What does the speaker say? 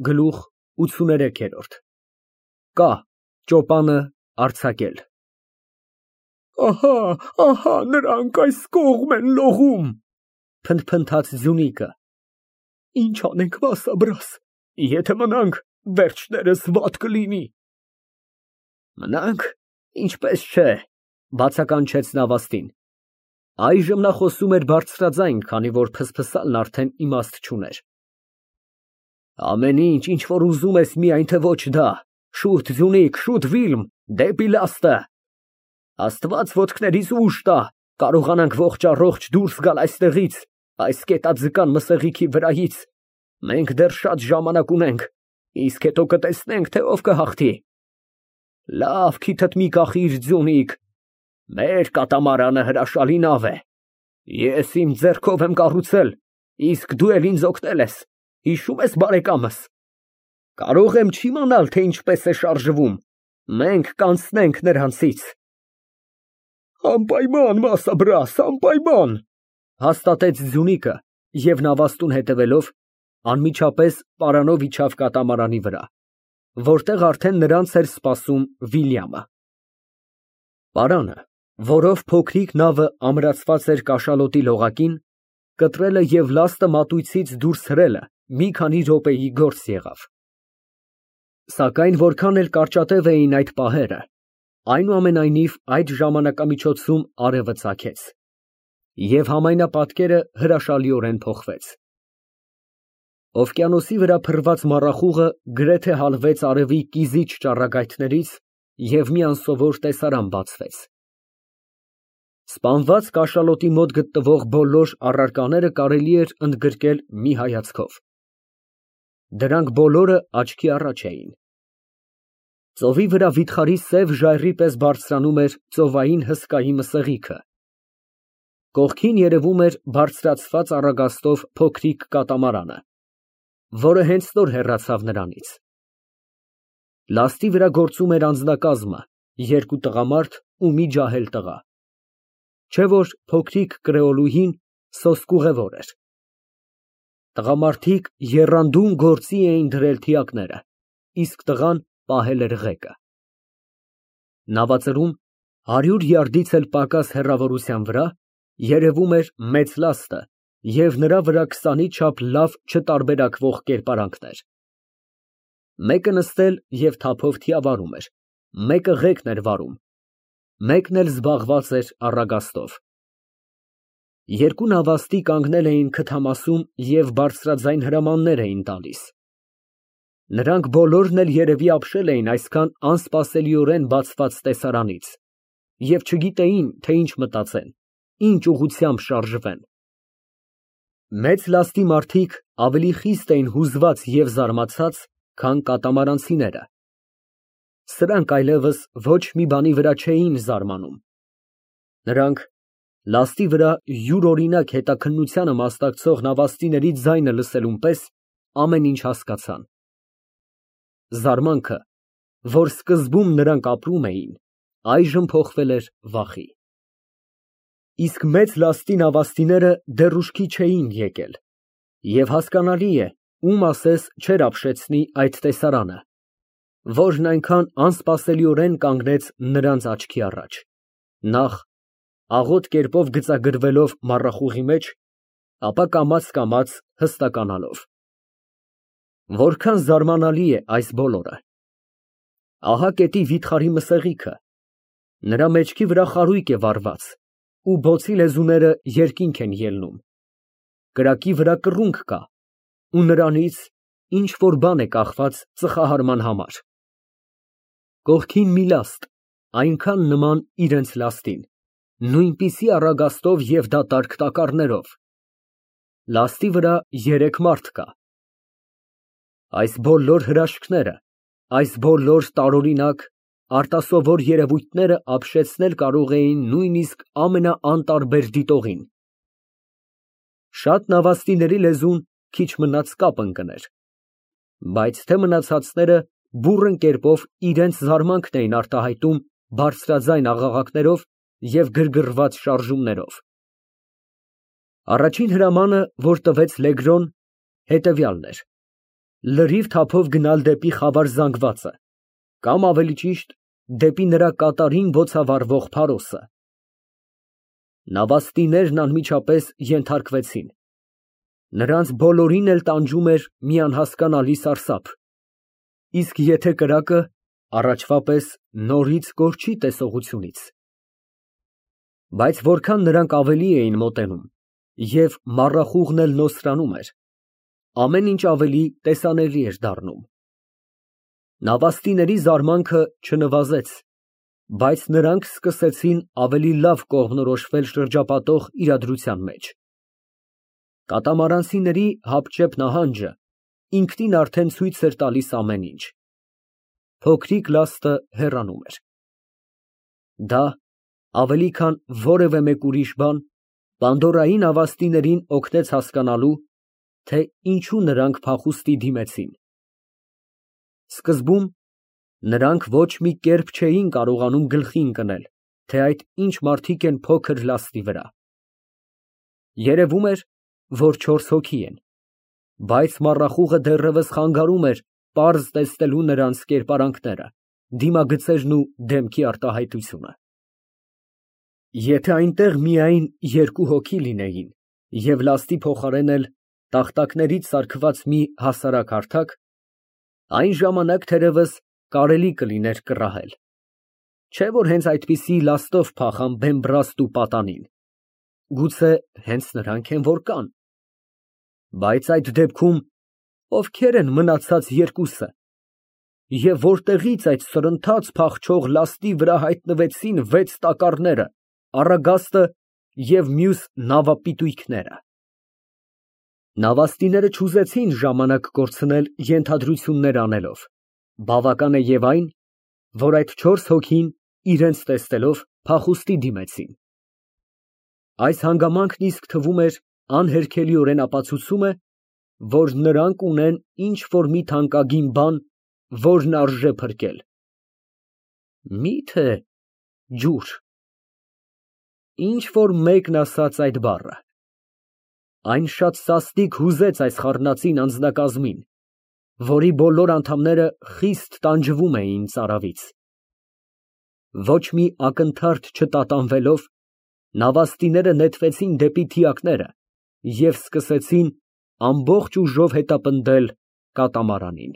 Գլուխ ութսուներեքերորդ Կա ճոպանը արձակել Ահա, նրանք այս կողմ են լողում, փնթփնթաց Ձյունիկը, ինչ անենք Վասաբրաս, եթե մնանք, վերջներս վատ կլինի։ Մնանք, ինչպես չէ, բացականչեց Նավաստին, այժմ նա խոսում էր բարձրաձայն, քանի որ փսփսալն արդեն իմաստ չուներ։ Ամեն ինչ որ ուզում ես, միայն թե ոչ դա, շուտ Ձյունիկ, շուտ Վիլմ, դեպի լաստը, Աստված ոտքներիս ուժ տա, կարողանանք ողջ առողջ դուրս գալ այստեղից, այս կետաձկան մսեղիքի վրայից, մենք դեռ շատ ժամանակ ունենք, իսկ հետո կտեսնենք, թե ով կհաղթի։ Լավ, քիթդ մի կախիր, Ձյունիկ, մեր կատամարանը հրաշալի նավ է, ես իմ ձեռքով եմ կառուցել, իսկ դու էլ ինձ օգնել ես, հիշում ես բարեկամս, կարող եմ չիմանալ, թե ինչպես է շարժվում, մենք կանցնենք նրանցից։ Անպայման, Վասաբրաս, անպայման, հաստատեց Ձյունիկը և Նավաստուն հետևելով անմիջապես պարանով իջավ կատամարանի վրա, որտեղ արդեն նրանց էր սպասում Վիլյամը։ Պարանը, որով փոքրիկ նավը ամրացված էր կաշալոտի լողակին, կտրելը և լաստը մատույցից դուրս հրելը մի քանի րոպեի գործ եղավ։ Սակայն որքան էլ կարճատև էին այդ պահերը, այնուամենայնիվ այդ ժամանակամիջոցում արևը ծագեց, և համայնապատկերը հրաշալիորեն փոխվեց։ Օվկիանոսի վրա փռված մառախուղը գրեթե հալվեց արևի կիզիչ ճառագայթներից և մի անսովոր տեսարան բացվեց։ Սպանված կաշալոտի մոտ գտնվող բոլոր առարկաները կարելի էր ընդգրկել մի հայացքով։ Դրանք բոլորը աչքի առաջ էին։ Ծովի վրա վիթխարի սև ժայռի պես բարձրանում էր ծովային հսկայի մսեղիքը։ Կողքին երևում էր բարձրացված առագաստով փոքրիկ կատամարանը, որը հենց նոր հեռացավ նրանից։ Լաստի վրա գործում էր անձնակազմը, երկու տղամարդ ու մի ջահել տղա, չէ որ փոքրիկ կրեոլուհին սոսկուղևոր էր։ Տղամարդիկ եռանդուն գործի էին դրել թիակները, իսկ տղան պահել էր ղեկը։ Նավածրում 100 յարդից էլ պակաս հեռավորության վրա երևում էր մեծ լաստը և նրա վրա 20-ի չափ լավ չտարբերակվող կերպարանքներ։ Մեկը նստել և թափով թիավարում էր, մեկը ղեկն էր վարում, մեկն էլ զբաղված էր առագաստով։ Երկու նավաստի կանգնել էին քթամասում և բարձրաձայն հրամաններ էին տալիս։ Նրանք բոլորն էլ երևի ապշել էին այսքան անսպասելիորեն բացված տեսարանից և չգիտեին, թե ինչ մտածեն, ինչ ուղղությամբ շարժվեն։ Մեծ լաստի մարդիկ ավելի խիստ էին հուզված և զարմացած, քան կատամարանցիները։ Սրանք այլևս ոչ մի բանի վրա չէին զարմանում։ Նրանք լաստի վրա յուրօրինակ հետաքննությանը մասնակցող նավաստիների ձայնը լսելուն պես ամեն ինչ հասկացան։ Զարմանքը, որ սկզբում նրանք ապրում էին, այժմ փոխվել էր վախի։ Իսկ մեծ լաստի նավաստիները դեռ ուշքի չէին եկել, և հասկանալի է, ում ասես չէր ապշեցնի այդ տեսարանը, որն այնքան անսպասելիորեն կանգնեց նրանց աչքի առաջ, նախ աղոտ կերպով գծագրվելով մառախուղի մեջ, ապա կամաց հստականալով։ Որքան զարմանալի է այս բոլորը։ Ահա կետի վիթխարի մսեղիքը, նրա մեջքի վրա խարույկ է վառված ու բոցի լեզուները երկինք են ելնում, կրակի վրա կռունկ կա ու նրանից ինչ որ բան է կախված ծխահարման համար։ Կողքին մի լաստ, այնքան նման իրենց լաստին, նույնպիսի առագաստով և դատարկ տակառներով։ Լաստի վրա 3 մարդ կա։ Այս բոլոր հրաշքները, այս բոլոր տարօրինակ, արտասովոր երևույթները ապշեցնել կարող էին նույնիսկ ամենաանտարբեր դիտողին։ Շատ նավաստիների լեզուն քիչ մնաց կապ ընկներ, բայց թե մնացածները բուռն կերպով իրենց զարմանքն էին արտահայտում բարձրաձայն աղաղակներով և գրգռված շարժումներով։ Առաջին հրամանը, որ տվեց Լեգրոն, հետևյալն էր. լրիվ թափով գնալ դեպի խավար զանգվածը, կամ ավելի ճիշտ, դեպի նրա կատարին բոցավառվող փարոսը։ Նավաստիներն անմիջապես ենթարկվեցին։ Նրանց բոլորին էլ տանջում էր մի անհասկանալի սարսափ, իսկ եթե կրակը առաջվա պես նորից կորչի տեսողությունից։ Բայց որքան նրանք ավելի էին մոտենում, և մառախուղն էլ նոսրանում էր, ամեն ինչ ավելի տեսանելի էր դառնում։ Նավաստիների զարմանքը չնվազեց, բայց նրանք սկսեցին ավելի լավ կողմնորոշվել շրջապատող իրադրության մեջ։ Կատամարանցիների հապճեպ նահանջը ինքնին արդեն ցույց էր տալիս ամեն ինչ։ Փոքրիկ լաստը հեռանում էր։ Դա ավելի քան որևէ մեկ ուրիշ բան Պանդորայի նավաստիներին օգնեց հասկանալու, թե ինչու նրանք փախուստի դիմեցին։ Սկզբում նրանք ոչ մի կերպ չէին կարողանում գլխի ընկնել, թե այդ ինչ մարդիկ են փոքր լաստի վրա։ Երևում էր, որ 4 հոգի են, բայց մառախուղը դեռևս խանգարում էր պարզ տեսնելու նրանց կերպարանքները, դիմագծերն ու դեմքի արտահայտությունը։ Եթե այնտեղ միայն 2 հոգի լինեին և լաստի փոխարեն էլ տախտակներից ծալքված մի հասարակ հարթակ, այն ժամանակ թերևս կարելի կլիներ կռահել, չէ՞ որ հենց այդպիսի լաստով փախան Բեմբրաստ ու պատանին, գուցե հենց նրանք են որ կան։ Բայց այդ դեպքում ովքեր են մնացած երկուսը, և որտեղից այդ սրընթաց փախչող լաստի վրա հայտնվեցին 6 տակառները, Առագաստը և մյուս նավապիտույքները։ Նավաստիները չուզեցին ժամանակ կորցնել ենթադրություններ անելով, բավական է և այն, որ այդ 4 հոգին իրենց տեսնելով փախուստի դիմեցին։ Այս հանգամանքն իսկ թվում էր անհերքելիորեն ապացուցում է, որ նրանք ունեն ինչ֊որ մի թանկագին բան, որն արժե փրկել։ Մի՞թե ջուր։ Ինչ֊որ մեկն ասաց այդ բառը։ Այն շատ սաստիկ հուզեց այս խառնածին անձնակազմին, որի բոլոր անդամները խիստ տանջվում էին ծարավից։ Ոչ մի ակնթարթ չտատանվելով, նավաստիները նետվեցին դեպի թիակները և սկսեցին ամբողջ ուժով հետապնդել կատամարանին։